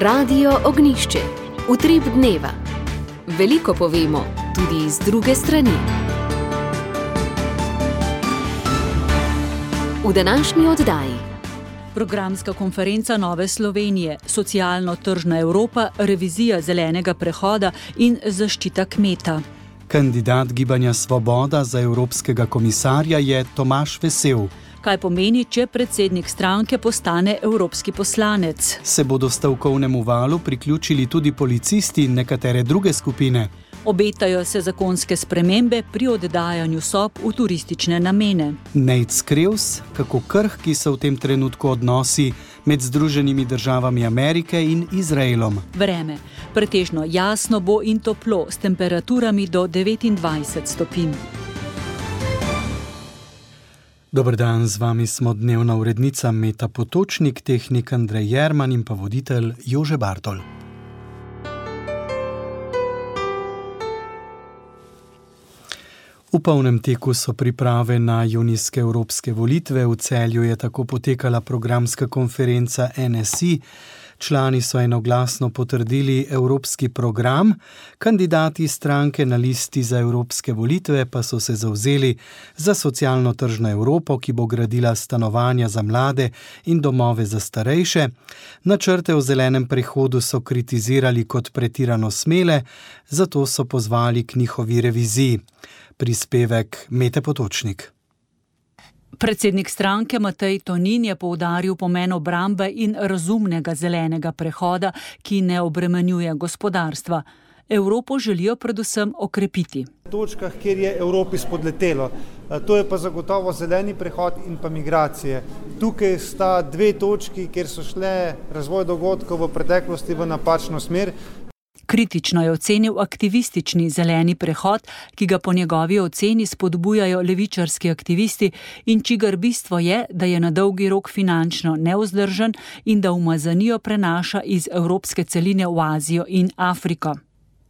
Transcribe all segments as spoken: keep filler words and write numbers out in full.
Radio Ognjišče. Utrip dneva. Veliko povemo, tudi iz druge strani. V današnji oddaji. Programska konferenca Nove Slovenije, socialno-tržna Evropa, revizija zelenega prehoda in zaščita kmeta. Kandidat Gibanja Svoboda za evropskega komisarja je Tomaž Vesel. Kaj pomeni, če predsednik stranke postane evropski poslanec? Se bodo stavkovnemu valu priključili tudi policisti in nekatere druge skupine? Obetajo se zakonske spremembe pri oddajanju sob v turistične namene. Nejc Skrevs, kako krhki so v tem trenutku odnosi med Združenimi državami Amerike in Izraelom. Vreme. Pretežno jasno bo in toplo, s temperaturami do devetindvajset stopinj. Dober dan, z vami smo dnevna urednica Meta Potočnik, tehnik Andrej Jerman in pa voditelj Jože Bartol. V polnem teku so priprave na junijske evropske volitve. V Celju je tako potekala programska konferenca N S I. Člani so enoglasno potrdili evropski program, kandidati stranke na listi za evropske volitve pa so se zavzeli za socialno-tržno Evropo, ki bo gradila stanovanja za mlade in domove za starejše. Načrte o zelenem prehodu so kritizirali kot pretirano smele, zato so pozvali k njihovi reviziji. Prispevek Mete Potočnik. Predsednik stranke Matej Tonin je poudaril pomen obrambe in razumnega zelenega prehoda, ki ne obremenjuje gospodarstva. Evropo želijo predvsem okrepiti. V točkah, kjer je Evropi spodletelo, to je pa zagotovo zeleni prehod in pa migracije. Tukaj sta dve točki, kjer so šle razvoj dogodkov v preteklosti v napačno smer. Kritično je ocenil aktivistični zeleni prehod, ki ga po njegovi oceni spodbujajo levičarski aktivisti in čigar bistvo je, da je na dolgi rok finančno nevzdržen in da umazanijo prenaša iz evropske celine v Azijo in Afriko.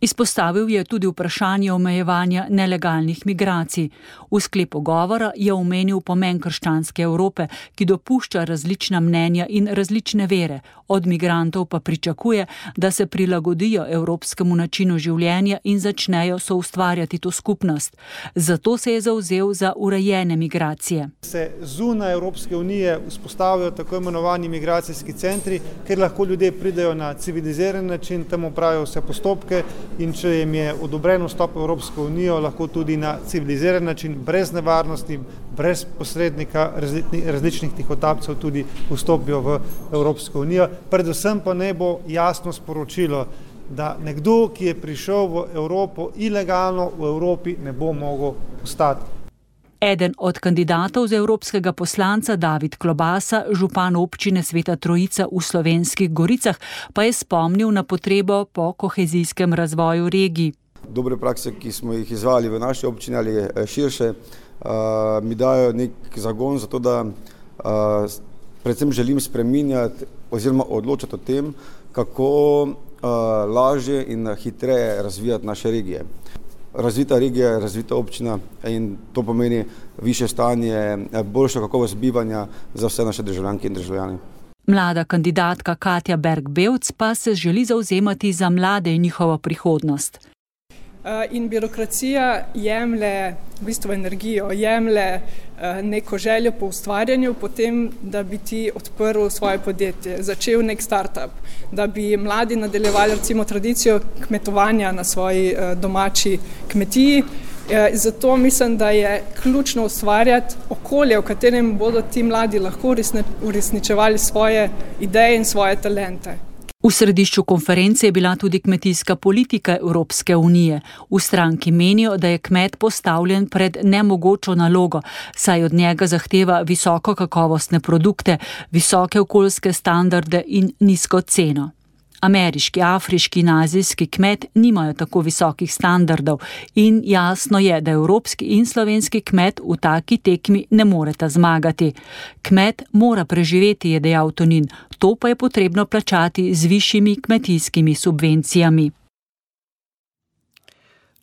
Izpostavil je tudi vprašanje omejevanja nelegalnih migracij. V sklepu govora je omenil pomen krščanske Evrope, ki dopušča različna mnenja in različne vere. Od migrantov pa pričakuje, da se prilagodijo evropskemu načinu življenja in začnejo soustvarjati to skupnost. Zato se je zavzel za urejene migracije. Se zunaj Evropske unije vzpostavijo tako imenovani migracijski centri, kjer lahko ljudje pridejo na civiliziran način, tam opravijo vse postopke, in če jim je odobren vstop v Evropsko unijo, lahko tudi na civiliziran način, brez nevarnosti, brez posrednika različnih tihotapcev tudi vstopijo v Evropsko unijo. Predvsem pa ne bo jasno sporočilo, da nekdo, ki je prišel v Evropo ilegalno, v Evropi ne bo mogel ostati. Eden od kandidatov za evropskega poslanca, David Klobasa, župan občine Sveta Trojica v Slovenskih Goricah, pa je spomnil na potrebo po kohezijskem razvoju regij. Dobre prakse, ki smo jih izvali v naši občini ali širše, mi dajo nek zagon za to, da predvsem želim spreminjati oziroma odločati o tem, kako lažje in hitreje razvijati naše regije. Razvita regija je razvita občina in to pomeni višje stanje, boljša kakovost bivanja za vse naše državljanke in državljane. Mlada kandidatka Katja Berg-Bevc pa se želi zavzemati za mlade in njihovo prihodnost. In birokracija jemlje v bistvu energijo, jemlje neko željo po ustvarjanju, potem, da bi ti odprl svoje podjetje, začel nek startup, da bi mladi nadaljevali recimo tradicijo kmetovanja na svoji domači kmetiji. Zato mislim, da je ključno ustvarjati okolje, v katerem bodo ti mladi lahko uresničevali svoje ideje in svoje talente. V središču konference je bila tudi kmetijska politika Evropske unije. V stranki menijo, da je kmet postavljen pred nemogočo nalogo, saj od njega zahteva visoko kakovostne produkte, visoke okoljske standarde in nizko ceno. Ameriški, afriški in azijski kmet nimajo tako visokih standardov in jasno je, da evropski in slovenski kmet v taki tekmi ne moreta zmagati. Kmet mora preživeti, je dejal Tonin, to pa je potrebno plačati z višjimi kmetijskimi subvencijami.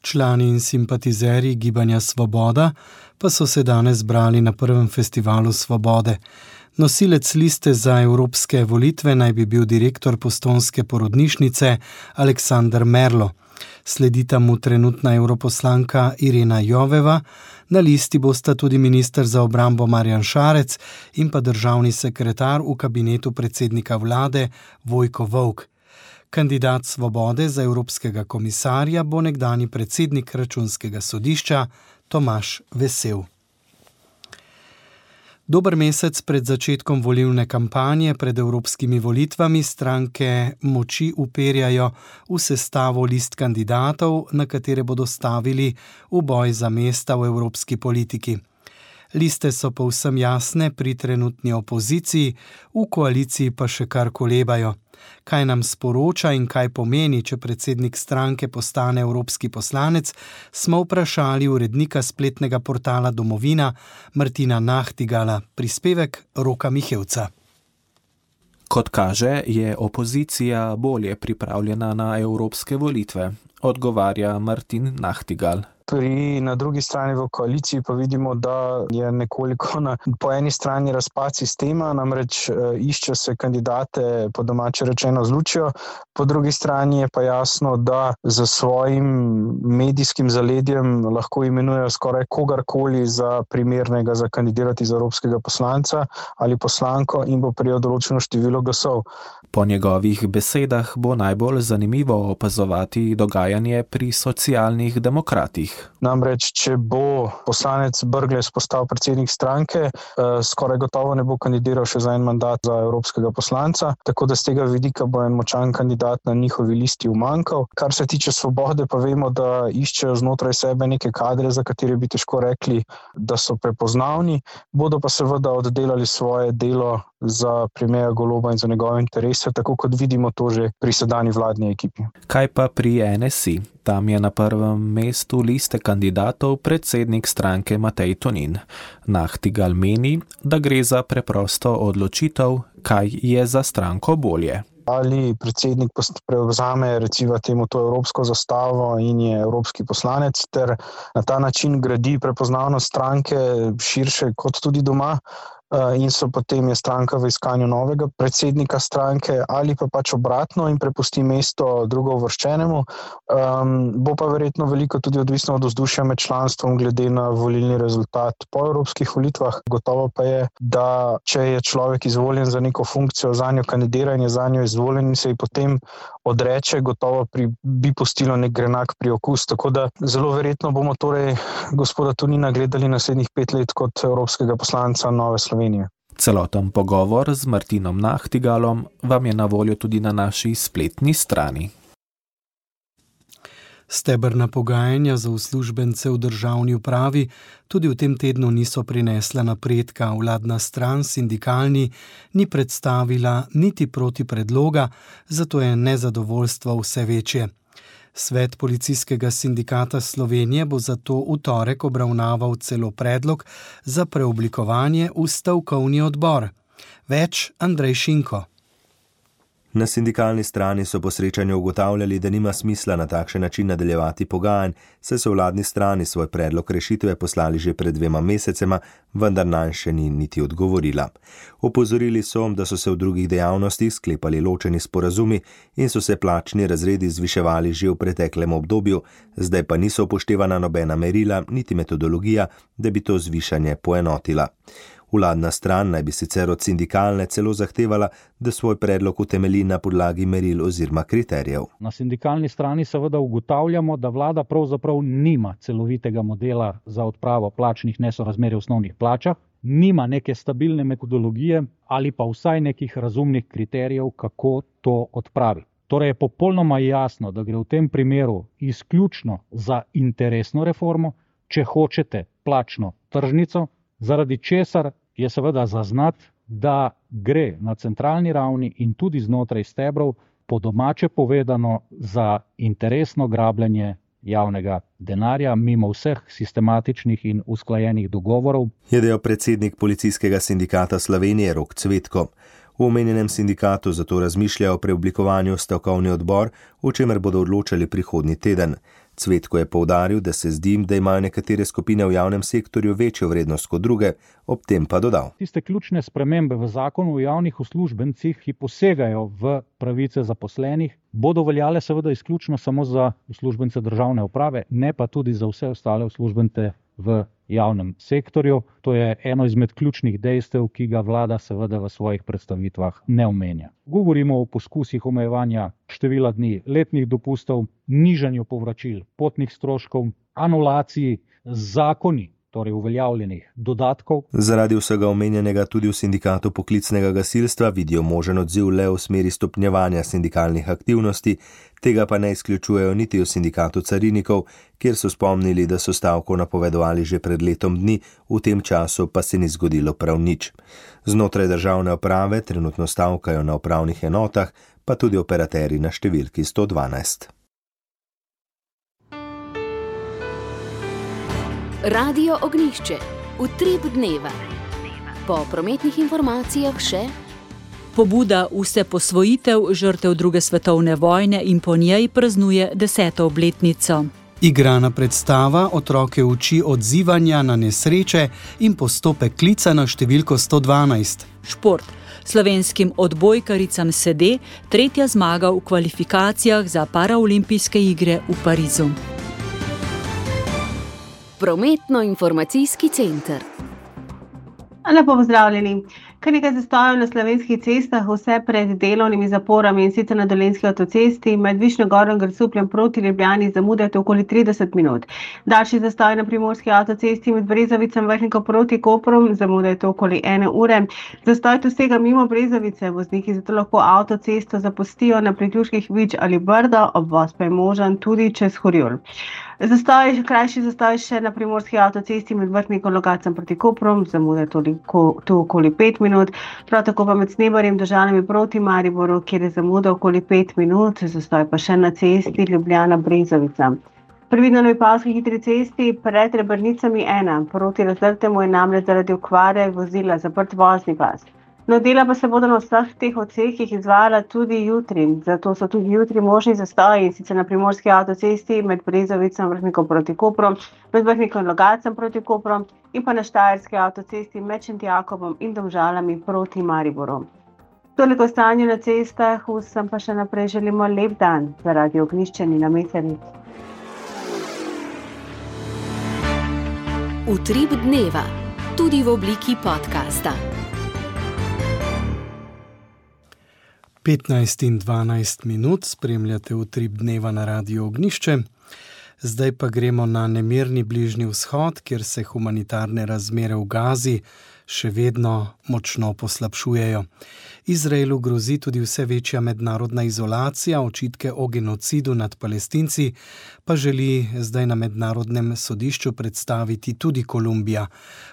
Člani in simpatizerji Gibanja Svoboda pa so se danes zbrali na prvem festivalu Svobode. Nosilec liste za evropske volitve naj bi bil direktor postojnske porodnišnice Aleksander Merlo. Sledita mu trenutna europoslanka Irena Joveva, na listi bosta tudi minister za obrambo Marjan Šarec in pa državni sekretar v kabinetu predsednika vlade Vojko Volk. Kandidat Svobode za evropskega komisarja bo nekdanji predsednik računskega sodišča Tomaž Vesel. Dober mesec pred začetkom volilne kampanje pred evropskimi volitvami stranke moči uperjajo v sestavo list kandidatov, na katere bodo stavili v boj za mesta v evropski politiki. Liste so povsem jasne pri trenutni opoziciji, v koaliciji pa še kar kolebajo. Kaj nam sporoča in kaj pomeni, če predsednik stranke postane evropski poslanec, smo vprašali urednika spletnega portala Domovina Martina Nahtigala, prispevek Roka Mihevca. Kot kaže, je opozicija bolje pripravljena na evropske volitve, odgovarja Martin Nahtigal. Pri, na drugi strani v koaliciji pa vidimo, da je nekoliko na, po eni strani razpad sistema, namreč e, išče se kandidate, po domače rečeno zlučijo, po drugi strani je pa jasno, da za svojim medijskim zaledjem lahko imenujejo skoraj kogarkoli za primernega za kandidirati za evropskega poslanca ali poslanko in bo prijel določeno število glasov. Po njegovih besedah bo najbolj zanimivo opazovati dogajanje pri socialnih demokratih. Namreč, če bo poslanec Brglez postal predsednik stranke, skoraj gotovo ne bo kandidiral še za en mandat za evropskega poslanca, tako da z tega vidika bo en močan kandidat na njihovi listi umanjkal. Kar se tiče Svobode, pa vemo, da iščejo znotraj sebe neke kadre, za katere bi težko rekli, da so prepoznavni, bodo pa seveda oddelali svoje delo za premierja Goloba in za njegove interese, tako kot vidimo to že pri sedanji vladni ekipi. Kaj pa pri N S I? Tam je na prvem mestu liste kandidatov predsednik stranke Matej Tonin. Nahtigal meni, da gre za preprosto odločitev, kaj je za stranko bolje. Ali predsednik prevzame recimo temu to evropsko zastavo in je evropski poslanec ter na ta način gradi prepoznavnost stranke širše kot tudi doma, in so potem je stranka v iskanju novega predsednika stranke ali pa pač obratno in prepusti mesto drugouvrščenemu. Um, bo pa verjetno veliko tudi odvisno od vzdušja med članstvom glede na volilni rezultat po evropskih volitvah. Gotovo pa je, da če je človek izvoljen za neko funkcijo, zanjo kandidira in je zanjo izvoljen in se ji potem odreče, gotovo pri, bi pustilo nek grenak priokus. Tako da zelo verjetno bomo torej gospoda Tonina gledali naslednjih pet let kot evropskega poslanca Nove Slovenije. Celoten pogovor z Martinom Nahtigalom vam je na voljo tudi na naši spletni strani. Stebrna pogajanja za uslužbence v državni upravi tudi v tem tednu niso prinesla napredka. Vladna stran sindikalni ni predstavila niti proti predloga, zato je nezadovoljstvo vse večje. Svet Policijskega sindikata Slovenije bo zato v torek obravnaval celo predlog za preoblikovanje v stavkovni odbor. Več Andrej Šinko. Na sindikalni strani so po srečanju ugotavljali, da nima smisla na takšen način nadaljevati pogajanj, saj so vladni strani svoj predlog rešitve poslali že pred dvema mesecema, vendar nanj še ni niti odgovorila. Opozorili so, da so se v drugih dejavnostih sklepali ločeni sporazumi in so se plačni razredi zviševali že v preteklem obdobju, zdaj pa niso upoštevana nobena merila niti metodologija, da bi to zvišanje poenotila. Vladna stran naj bi sicer od sindikalne celo zahtevala, da svoj predlog utemelji na podlagi meril oziroma kriterijev. Na sindikalni strani seveda ugotavljamo, da vlada pravzaprav nima celovitega modela za odpravo plačnih nesorazmerij v osnovnih plačah, nima neke stabilne metodologije ali pa vsaj nekih razumnih kriterijev, kako to odpravi. Torej je popolnoma jasno, da gre v tem primeru izključno za interesno reformo, če hočete plačno tržnico, zaradi česar je seveda zaznati, da gre na centralni ravni in tudi znotraj stebrov po domače povedano za interesno grabljenje javnega denarja mimo vseh sistematičnih in usklajenih dogovorov. Je dejal predsednik Policijskega sindikata Slovenije Rok Cvetko. V omenjenem sindikatu zato razmišljajo o preoblikovanju stavkovni odbor, o čemer bodo odločali prihodnji teden. Cvetko je poudaril, da se zdi, da imajo nekatere skupine v javnem sektorju večjo vrednost kot druge, ob tem pa dodal. Tiste ključne spremembe v zakonu o javnih uslužbencih, ki posegajo v pravice zaposlenih, bodo veljale seveda izključno samo za uslužbence državne uprave, ne pa tudi za vse ostale uslužbence v javnem sektorju. To je eno izmed ključnih dejstev, ki ga vlada seveda v svojih predstavitvah ne omenja. Govorimo o poskusih omejevanja števila dni letnih dopustov, nižanju povračil potnih stroškov, anulaciji zakoni, torej uveljavljenih dodatkov. Zaradi vsega omenjenega tudi v sindikatu poklicnega gasilstva vidijo možen odziv le v smeri stopnjevanja sindikalnih aktivnosti, tega pa ne izključujejo niti v sindikatu carinikov, kjer so spomnili, da so stavko napovedovali že pred letom dni, v tem času pa se ni zgodilo prav nič. Znotraj državne uprave trenutno stavkajo na upravnih enotah, pa tudi operaterji na številki sto dvanajst. Radio Ognjišče, utrip dneva. Po prometnih informacijah še pobuda Vse posvojitev žrtev druge svetovne vojne in po njej praznuje deseto obletnico. Igrana predstava otroke uči odzivanja na nesreče in postopek klica na številko sto dvanajst. Šport. Slovenskim odbojkaricam sede tretja zmaga v kvalifikacijah za paraolimpijske igre v Parizu. Prometno-informacijski center. Lepo pozdravljeni. Kar nekaj zastojev na slovenskih cestah, vse pred delovnimi zaporami, in sicer na Dolenjski avtocesti med Višnjo Goro in Grosupljem proti Ljubljani zamudate okoli trideset minut. Daljši zastoj na Primorski avtocesti med Brezovicem Vrhnikom proti Kopru zamudate okoli ene ure. Zastoj tu sega mimo Brezovice, vozniki zato lahko avtocesto zapustijo na priključkih Vič ali Brdo, obvoz pa je možen tudi čez Horjul. Zastoj, krajši zastoj še na Primorski avtocesti med Vrhnikom Logacem proti Kopru, zamude toliko, tu okoli pet minut, prav tako pa med Snebarjem Domžalami proti Mariboru, kjer je zamuda okoli pet minut, zastoj pa še na cesti Ljubljana-Brezovica. Previdno na Vipavski hitri cesti pred Rebrnicami ena, proti Razdrtemu je namreč zaradi okvare vozila zaprt vozni pas. No, dela pa se bodo na vseh teh odsekih izvajala tudi jutri, zato so tudi jutri možni zastoji, in sicer na Primorski avtocesti med Brezovicem Vrhnikom proti Kopru, med Vrhnikom Logacem proti Kopru in pa na Štajerski avtocesti med Šentjakobom in Domžalami proti Mariboru. Toliko o stanju na cestah, vsem pa še naprej želimo lep dan za Radio Ognjišče Nina Mesarič. Utrip dneva, tudi v obliki podcasta. petnajst in dvanajst minut spremljate Utrip dneva na Radio Ognjišče. Zdaj pa gremo na nemirni Bližnji vzhod, kjer se humanitarne razmere v Gazi še vedno močno poslabšujejo. Izraelu grozi tudi vse večja mednarodna izolacija, očitke o genocidu nad Palestinci pa želi zdaj na mednarodnem sodišču predstaviti tudi Kolumbija.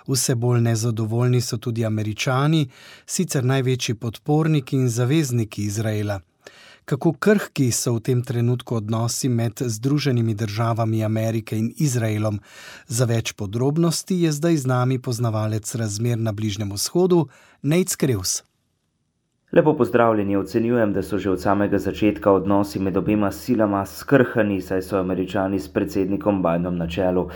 Vse bolj nezadovoljni so tudi Američani, sicer največji podporniki in zavezniki Izraela. Kako krhki so v tem trenutku odnosi med Združenimi državami Amerike in Izraelom? Za več podrobnosti je zdaj z nami poznavalec razmer na Bližnjem vzhodu, Nejc Krevs. Lepo pozdravljeni, ocenjujem, da so že od samega začetka odnosi med obema silama skrhani, saj so Američani s predsednikom Bidenom na čelu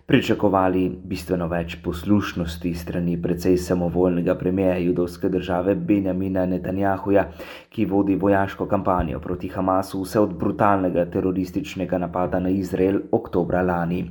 pričakovali bistveno več poslušnosti strani precej samovoljnega premierja judovske države Benjamina Netanjahuja, ki vodi vojaško kampanjo proti Hamasu vse od brutalnega terorističnega napada na Izrael oktobra lani.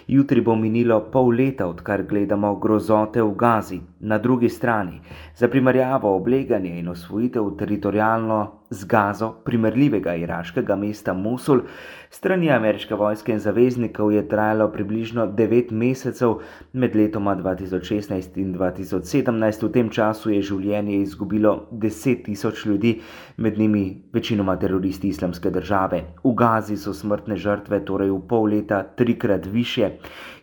Jutri bo minilo pol leta, odkar gledamo grozote v Gazi. Na drugi strani, za primerjavo obleganje in osvojitev teritorialno z Gazo primerljivega iraškega mesta Mosul, strani ameriške vojske in zaveznikov je trajalo približno devet mesecev med letoma dva tisoč šestnajst in dva tisoč sedemnajst. V tem času je življenje izgubilo deset tisoč ljudi, med njimi večinoma teroristi Islamske države. V Gazi so smrtne žrtve torej v pol leta trikrat višje,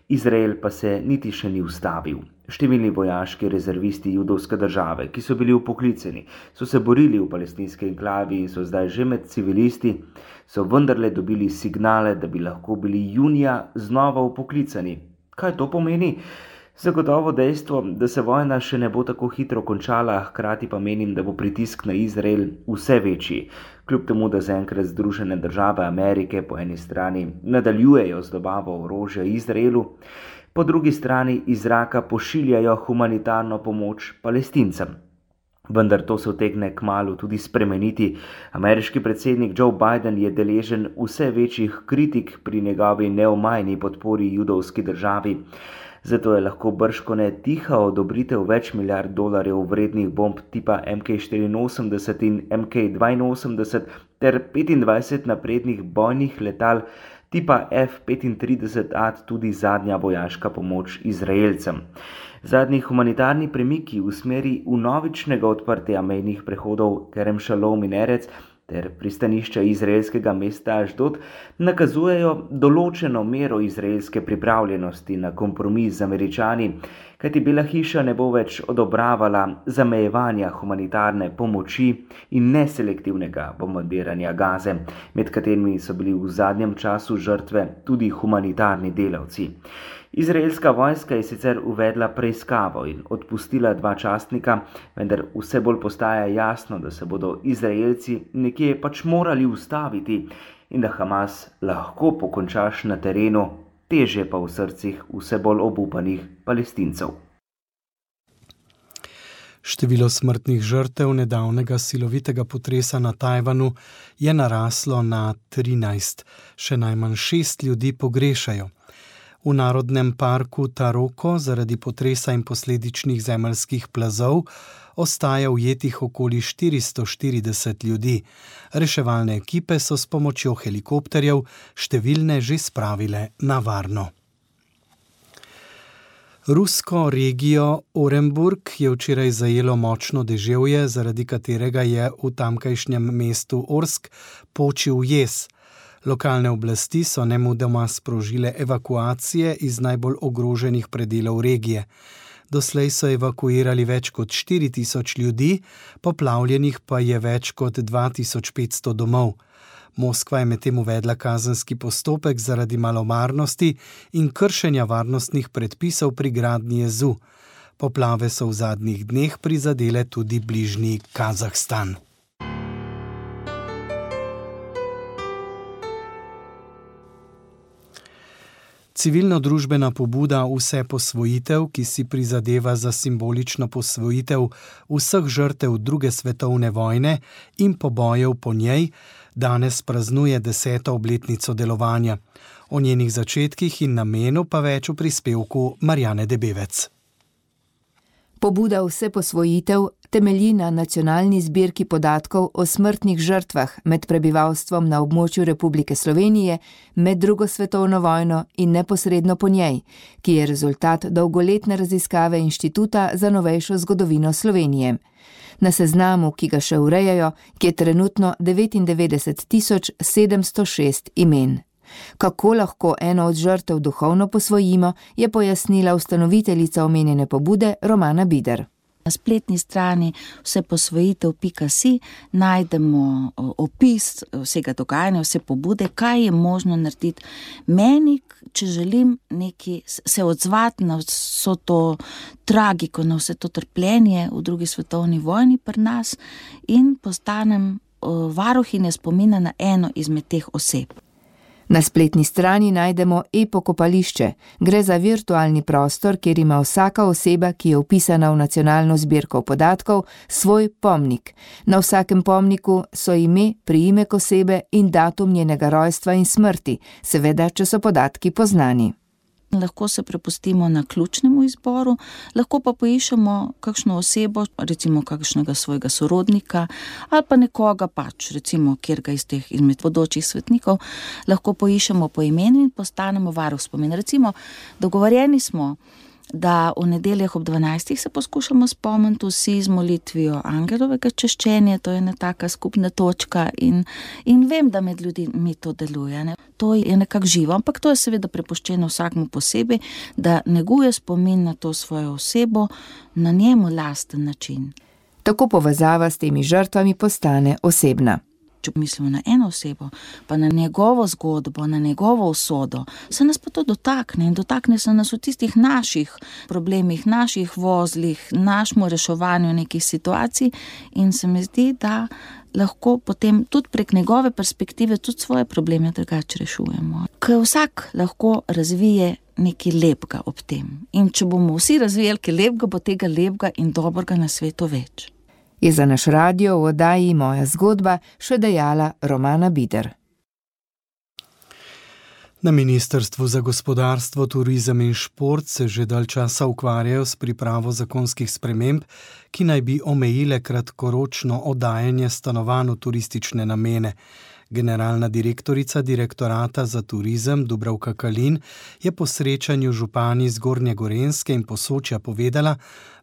Izrael pa se niti še ni ustavil. Številni vojaški rezervisti judovske države, ki so bili upoklicani, so se borili v palestinski enklavi in so zdaj že med civilisti, so vendarle dobili signale, da bi lahko bili junija znova upoklicani. Kaj to pomeni? Zagotovo dejstvo, da se vojna še ne bo tako hitro končala, hkrati pa menim, da bo pritisk na Izrael vse večji. Kljub temu, da zaenkrat Združene države Amerike po eni strani nadaljujejo z dobavo orožja Izraelu, po drugi strani iz zraka pošiljajo humanitarno pomoč Palestincem. Vendar to se utegne kmalu tudi spremeniti. Ameriški predsednik Joe Biden je deležen vse večjih kritik pri njegovi neomajni podpori judovski državi. Zato je lahko bržkone tiha odobritev več milijard dolarjev vrednih bomb tipa M K štiriinosemdeset in M K dvainosemdeset ter petindvajset naprednih bojnih letal tipa F petintrideset A tudi zadnja vojaška pomoč Izraelcem. Zadnji humanitarni premiki v smeri vnovičnega odprtja mejnih prehodov Kerem Šalom in Erec ter pristanišča izraelskega mesta Ašdod nakazujejo določeno mero izraelske pripravljenosti na kompromis z Američani, kajti Bela hiša ne bo več odobravala zamejevanja humanitarne pomoči in neselektivnega bombardiranja Gaze, med katerimi so bili v zadnjem času žrtve tudi humanitarni delavci. Izraelska vojska je sicer uvedla preiskavo in odpustila dva častnika, vendar vse bolj postaja jasno, da se bodo Izraelci nekje pač morali ustaviti in da Hamas lahko pokončaš na terenu, težje pa v srcih vse bolj obupanih Palestincev. Število smrtnih žrtev nedavnega silovitega potresa na Tajvanu je naraslo na trinajst, še najmanj šest ljudi pogrešajo. V narodnem parku Taroko zaradi potresa in posledičnih zemeljskih plazov ostaja ujetih okoli štiristo štirideset ljudi. Reševalne ekipe so s pomočjo helikopterjev številne že spravile na varno. Rusko regijo Orenburg je včeraj zajelo močno deževje, zaradi katerega je v tamkajšnjem mestu Orsk počil jez. Lokalne oblasti so nemudoma sprožile evakuacije iz najbolj ogroženih predelov regije. Doslej so evakuirali več kot štiri tisoč ljudi, poplavljenih pa je več kot dva tisoč petsto domov. Moskva je medtem uvedla kazenski postopek zaradi malomarnosti in kršenja varnostnih predpisov pri gradnji jezu. Poplave so v zadnjih dneh prizadele tudi bližnji Kazahstan. Civilno-družbena pobuda Vse posvojitev, ki si prizadeva za simbolično posvojitev vseh žrtev druge svetovne vojne in pobojev po njej, danes praznuje deseto obletnico delovanja. O njenih začetkih in namenu pa več v prispevku Marjane Debevec. Pobuda Vse posvojitev temelji na nacionalni zbirki podatkov o smrtnih žrtvah med prebivalstvom na območju Republike Slovenije med drugo svetovno vojno in neposredno po njej, ki je rezultat dolgoletne raziskave Inštituta za novejšo zgodovino Slovenije. Na seznamu, ki ga še urejajo, je trenutno devetindevetdeset tisoč sedemsto šest imen. Kako lahko eno od žrtev duhovno posvojimo, je pojasnila ustanoviteljica omenjene pobude Romana Bider. Na spletni strani vse posvojitev pika si najdemo opis vsega dogajanja, vse pobude, kaj je možno narediti meni, če želim neki, se odzvati na vso to tragiko, na vse to trpljenje v drugi svetovni vojni pri nas in postanem varuhinja spomina na eno izmed teh oseb. Na spletni strani najdemo e-pokopališče. Gre za virtualni prostor, kjer ima vsaka oseba, ki je vpisana v nacionalno zbirko podatkov, svoj pomnik. Na vsakem pomniku so ime, priimek osebe in datum njenega rojstva in smrti, seveda, če so podatki poznani. Lahko se prepustimo na ključnemu izboru, lahko pa poiščemo kakšno osebo, recimo kakšnega svojega sorodnika ali pa nekoga pač, recimo kjerga iz teh izmed bodočih svetnikov, lahko poiščemo po imenu in postanemo varuh spomin. Recimo, dogovorjeni smo, da v nedeljah ob dvanajstih se poskušamo spomniti vsi z molitvijo angelovega češčenja, to je ena taka skupna točka in, in vem, da med ljudmi to deluje. Ne? To je nekako živo, ampak to je seveda prepuščeno vsakmu posebej, da neguje spomin na to svojo osebo na njemu lasten način. Tako povezava s temi žrtvami postane osebna. Če mislimo na eno osebo, pa na njegovo zgodbo, na njegovo usodo, se nas pa to dotakne in dotakne se nas v tistih naših problemih, naših vozlih, našemu reševanju nekih situacij in se mi zdi, da lahko potem tudi prek njegove perspektive tudi svoje probleme drugače rešujemo. Ker vsak lahko razvije nekaj lepega ob tem. In če bomo vsi razvijali nekaj lepega, bo tega lepega in dobrega na svetu več. Je za naš radio v oddaji Moja zgodba še dejala Romana Bider. Na Ministrstvu za gospodarstvo, turizem in šport se že dalj časa ukvarjajo s pripravo zakonskih sprememb, ki naj bi omejile kratkoročno oddajanje stanovanj v turistične namene. Generalna direktorica Direktorata za turizem Dubravka Kalin je po srečanju župani z Gornje Gorenjske in Posočja povedala,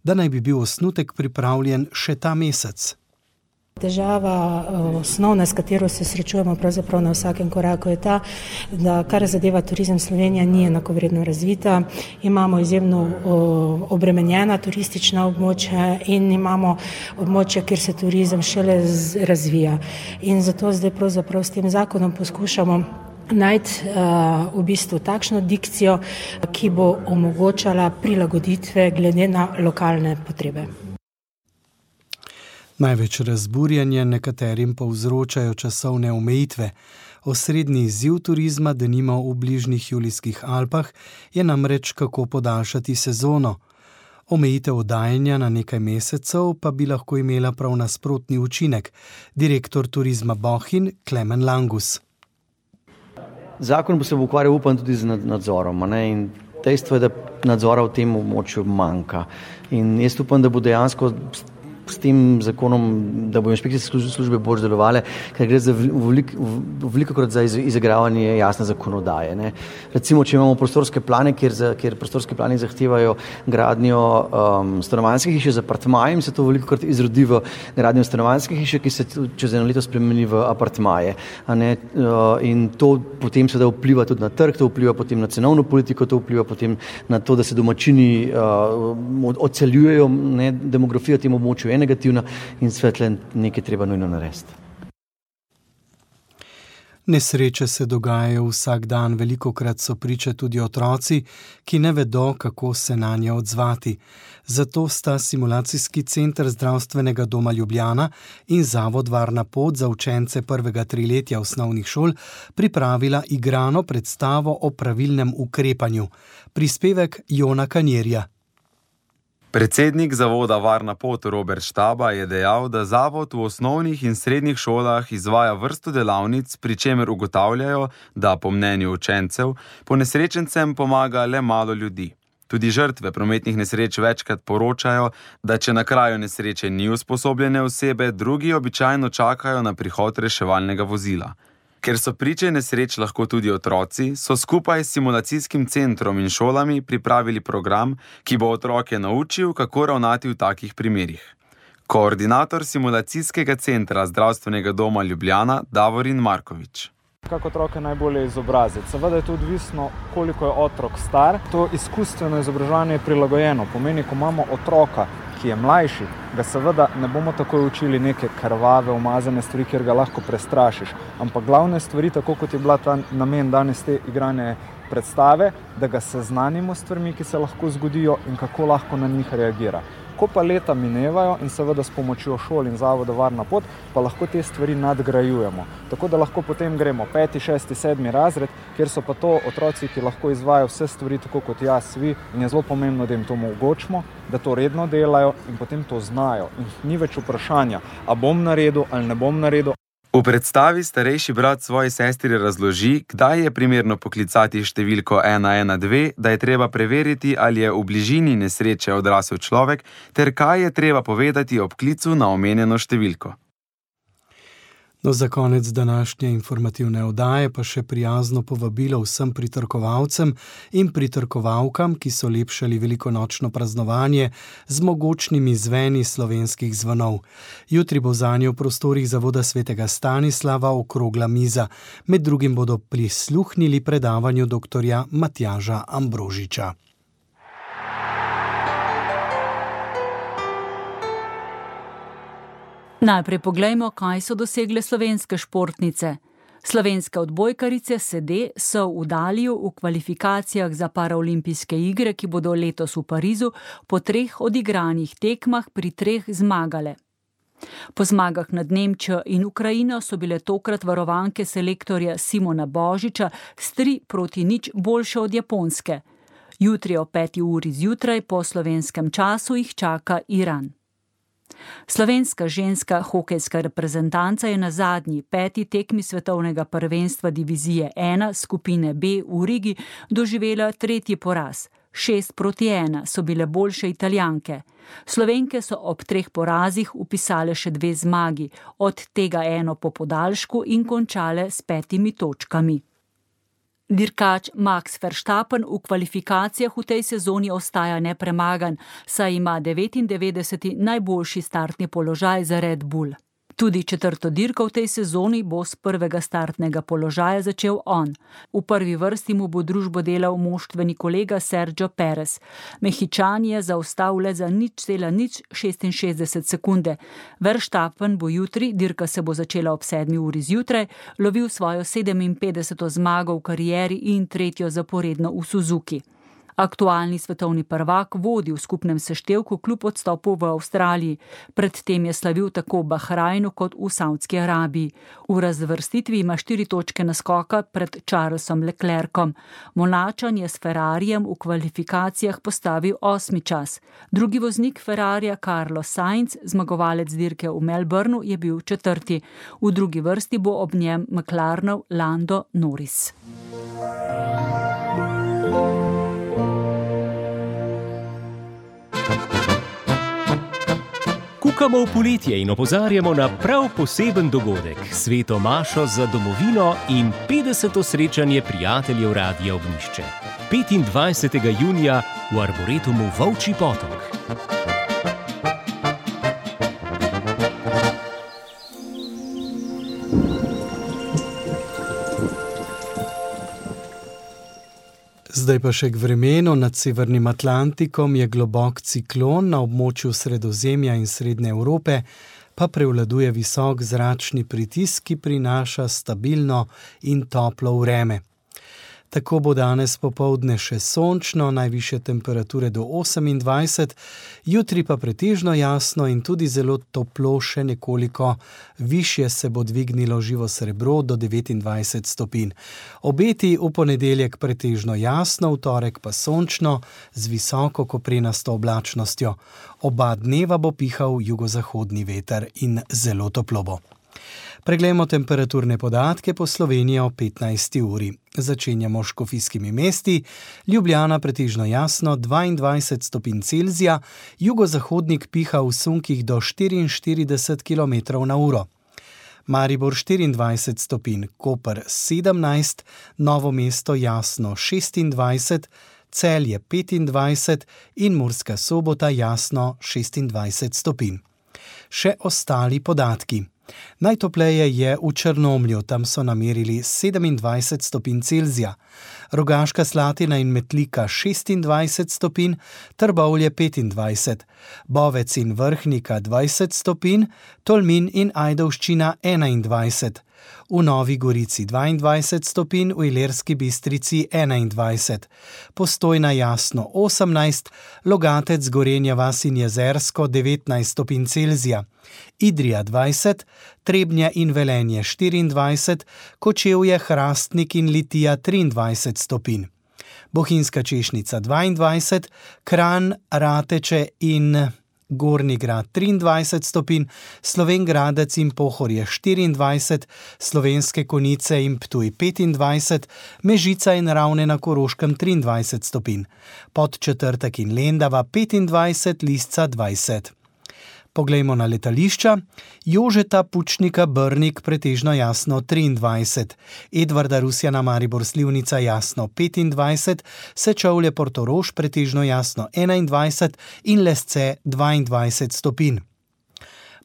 da naj bi bil osnutek pripravljen še ta mesec. Težava osnovna, s katero se srečujemo pravzaprav na vsakem koraku, je ta, da kar zadeva turizem, Slovenija ni enakovredno razvita. Imamo izjemno obremenjena turistična območja in imamo območja, kjer se turizem šele razvija. In zato zdaj pravzaprav s tem zakonom poskušamo najti uh, v bistvu takšno dikcijo, ki bo omogočala prilagoditve glede na lokalne potrebe. Največ razburjanja nekaterim povzročajo časovne omejitve. Osrednji izziv turizma, denimo v bližnjih Julijskih Alpah, je namreč kako podaljšati sezono. Omejitev oddajanja na nekaj mesecev pa bi lahko imela prav nasprotni učinek. Direktor turizma Bohinj Klemen Langus. Zakon bo se bo ukvarjal, upam, tudi z nadzorom, ne? In dejstvo je, da nadzora v tem območju manjka. In jaz upam, da bo dejansko s tem zakonom, da bo inšpekcijske službe bolj delovale, ker gre za velikokrat za izigravanje jasne zakonodaje. Ne. Recimo, če imamo prostorske plane, kjer, za, kjer prostorske plani zahtevajo gradnjo um, stanovanjske hiše z apartmajem, se to velikokrat izrodi v gradnjo stanovanjske hiše, ki se čez eno leto spremeni v apartmaje. A ne, uh, in to potem seveda vpliva tudi na trg, to vpliva potem na cenovno politiko, to vpliva potem na to, da se domačini uh, odseljujejo, ne, demografija tem območju je negativna in svetle nekaj treba nujno narediti. Nesreče se dogajajo vsak dan, velikokrat so priče tudi otroci, ki ne vedo, kako se na nje odzvati. Zato sta Simulacijski center Zdravstvenega doma Ljubljana in Zavod Varna pot za učence prvega triletja osnovnih šol pripravila igrano predstavo o pravilnem ukrepanju. Prispevek Jona Kanjerja. Predsednik zavoda Varna pot Robert Štaba je dejal, da zavod v osnovnih in srednjih šolah izvaja vrsto delavnic, pri čemer ugotavljajo, da po mnenju učencev ponesrečencem pomaga le malo ljudi. Tudi žrtve prometnih nesreč večkrat poročajo, da če na kraju nesreče ni usposobljene osebe, drugi običajno čakajo na prihod reševalnega vozila. Ker so priče nesreč lahko tudi otroci, so skupaj s simulacijskim centrom in šolami pripravili program, ki bo otroke naučil, kako ravnati v takih primerih. Koordinator Simulacijskega centra Zdravstvenega doma Ljubljana Davorin Markovič. Kako otroke najbolje izobraziti? Seveda je to odvisno, koliko je otrok star. To izkustveno izobraževanje je prilagojeno. Pomeni, ko imamo otroka, ki je mlajši, ga seveda ne bomo takoj učili neke krvave, umazane stvari, kjer ga lahko prestrašiš. Ampak glavne stvari, tako kot je bila ta namen danes te igrane predstave, da ga seznanimo s stvarmi, ki se lahko zgodijo in kako lahko na njih reagira. Ko pa leta minevajo in seveda s pomočjo šol in zavoda Varna pot, pa lahko te stvari nadgrajujemo. Tako da lahko potem gremo peti, šesti, sedmi razred, kjer so pa to otroci, ki lahko izvajajo vse stvari tako kot jaz, vi, in je zelo pomembno, da jim to omogočimo, da to redno delajo in potem to znajo. In ni več vprašanja, a bom naredil ali ne bom naredil. V predstavi starejši brat svoji sestri razloži, kdaj je primerno poklicati številko ena ena dve, da je treba preveriti, ali je v bližini nesreče odrasel človek, ter kaj je treba povedati ob klicu na omenjeno številko. No, za konec današnje informativne oddaje pa še prijazno povabilo vsem pritrkovalcem in pritrkovalkam, ki so lepšali velikonočno praznovanje z mogočnimi zveni slovenskih zvonov. Jutri bo zanje v prostorih Zavoda svetega Stanislava okrogla miza. Med drugim bodo prisluhnili predavanju doktorja Matjaža Ambrožiča. Najprej poglejmo, kaj so dosegle slovenske športnice. Slovenske odbojkarice sede so v Daliju v kvalifikacijah za paraolimpijske igre, ki bodo letos v Parizu, po treh odigranih tekmah pri treh zmagale. Po zmagah nad Nemčijo in Ukrajino so bile tokrat varovanke selektorja Simona Božiča s tri proti nič boljše od Japonske. Jutri o peti uri zjutraj po slovenskem času jih čaka Iran. Slovenska ženska hokejska reprezentanca je na zadnji peti tekmi svetovnega prvenstva divizije ena skupine B v Rigi doživela tretji poraz. Šest proti ena so bile boljše Italijanke. Slovenke so ob treh porazih upisale še dve zmagi, od tega eno po podaljšku in končale s petimi točkami. Dirkač Max Verstappen v kvalifikacijah v tej sezoni ostaja nepremagan, saj ima devetindevetdeseti najboljši startni položaj za Red Bull. Tudi četrto dirko v tej sezoni bo s prvega startnega položaja začel on. V prvi vrsti mu bo družbo delal moštveni kolega Sergio Perez. Mehičan je zaostal le za nič cela nič šestinšestdeset sekunde. Verstappen bo jutri, dirka se bo začela ob sedmi uri zjutraj, lovil svojo sedeminpetdeseto zmago v karieri in tretjo zaporedno v Suzuki. Aktualni svetovni prvak vodi v skupnem seštevku kljub odstopu v Avstraliji. Predtem je slavil tako v Bahrajnu kot v Savdski Arabiji. V razvrstitvi ima štiri točke naskoka pred Charlesom Leclercom. Monačan je s Ferrarijem v kvalifikacijah postavil osmi čas. Drugi voznik Ferrarija Carlos Sainz, zmagovalec dirke v Melbourneu, je bil četrti. V drugi vrsti bo ob njem McLarenov Lando Norris. Kukamo v poletje in opozarjamo na prav poseben dogodek, sveto mašo za domovino in petdeseto srečanje prijateljev Radia Ognjišče. petindvajsetega junija v Arboretumu Volčji potok. Zdaj pa še k vremenu. Nad Severnim Atlantikom je globok ciklon, na območju Sredozemlja in Srednje Evrope pa prevladuje visok zračni pritisk, ki prinaša stabilno in toplo vreme. Tako bo danes popoldne še sončno, najvišje temperature do osemindvajset, jutri pa pretežno jasno in tudi zelo toplo, še nekoliko višje se bo dvignilo živo srebro do devetindvajset stopinj. Obeti v ponedeljek pretežno jasno, v torek pa sončno z visoko koprenasto oblačnostjo. Oba dneva bo pihal jugozahodni veter in zelo toplo bo. Preglejmo temperaturne podatke po Sloveniji o petnajsti uri. Začenjamo s škofijskimi mesti. Ljubljana pretežno jasno, dvaindvajset stopinj Celzija, jugozahodnik piha v sunkih do štiriinštirideset kilometrov na uro. Maribor štiriindvajset stopinj, Koper sedemnajst, Novo mesto jasno šestindvajset, Celje petindvajset in Murska Sobota jasno šestindvajset stopinj. Še ostali podatki. Najtopleje je v Črnomlju, tam so namerili sedemindvajset stopinj Celzija, Rogaška Slatina in Metlika šestindvajset stopinj, Trbovlje petindvajset, Bovec in Vrhnika dvajset stopinj, Tolmin in Ajdovščina enaindvajset, v Novi Gorici dvaindvajset stopinj, v Ilirski Bistrici enaindvajset, Postojna jasno osemnajst, Logatec, Gorenja vas in Jezersko devetnajst stopinj Celzija, Idrija dvajset, Trebnje in Velenje štiriindvajset, Kočevje, Hrastnik in Litija triindvajset stopinj, Bohinjska Češnica dvaindvajset, Kranj, Rateče in Gornji Grad triindvajset stopinj, Slovenj Gradec in Pohorje štiriindvajset, Slovenske Konjice in Ptuj petindvajset, Mežica in Ravne na Koroškem triindvajset stopinj, Podčetrtek in Lendava petindvajset, Lisca dvajset. Poglejmo na letališča. Jožeta Pučnika Brnik pretežno jasno triindvajset, Edvarda Rusjana Maribor Slivnica jasno petindvajset, Sečovlje Portorož pretežno jasno enaindvajset in Lesce dvaindvajset stopinj.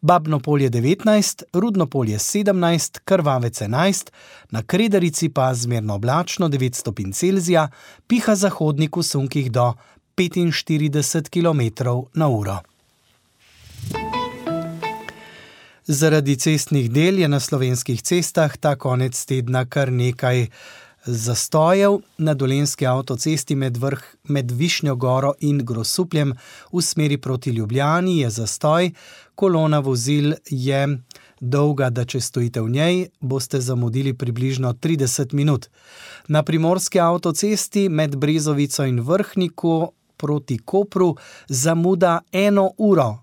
Babno Polje devetnajst, Rudno Polje sedemnajst, Krvavec enajst, na Kredarici pa zmerno oblačno devet stopinj Celzija, piha zahodnik v sunkih do petinštirideset kilometrov na uro. Zaradi cestnih del je na slovenskih cestah ta konec tedna kar nekaj zastojev. Na Dolenjski avtocesti med, vrh, med Višnjo Goro in Grosupljem v smeri proti Ljubljani je zastoj. Kolona vozil je dolga, da če stojite v njej, boste zamudili približno trideset minut. Na Primorski avtocesti med Brezovico in Vrhniku proti Kopru zamuda eno uro.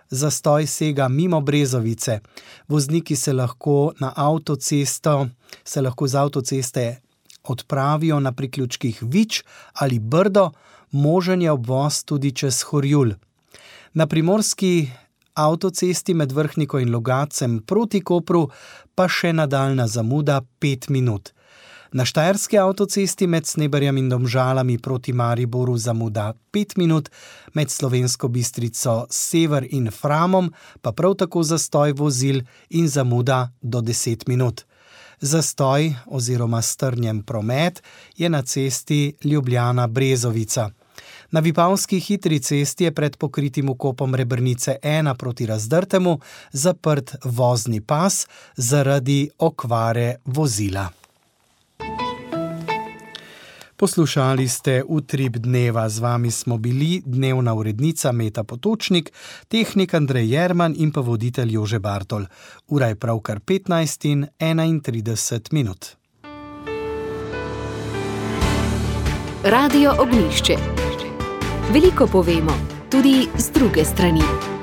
Zastoj sega mimo Brezovice. Vozniki se lahko na avtocesto, se lahko z avtoceste odpravijo na priključkih Vič ali Brdo, možen je obvoz tudi čez Horjul. Na Primorski avtocesti med Vrhniko in Logacem proti Kopru pa še nadaljna zamuda pet minut. Na Štajerski avtocesti med Sneberjem in Domžalami proti Mariboru zamuda pet minut, med Slovensko Bistrico Sever in Framom pa prav tako zastoj vozil in zamuda do deset minut. Zastoj oziroma strnjen promet je na cesti Ljubljana-Brezovica. Na Vipavski hitri cesti je pred pokritim vkopom Rebrnice ena proti Razdrtemu zaprt vozni pas zaradi okvare vozila. Poslušali ste Utrip dneva, z vami smo bili dnevna urednica Meta Potočnik, tehnik Andrej Jerman in pa voditelj Jože Bartol. Ura je pravkar petnajst in enaintrideset minut. Radio Ognjišče. Veliko povemo, tudi z druge strani.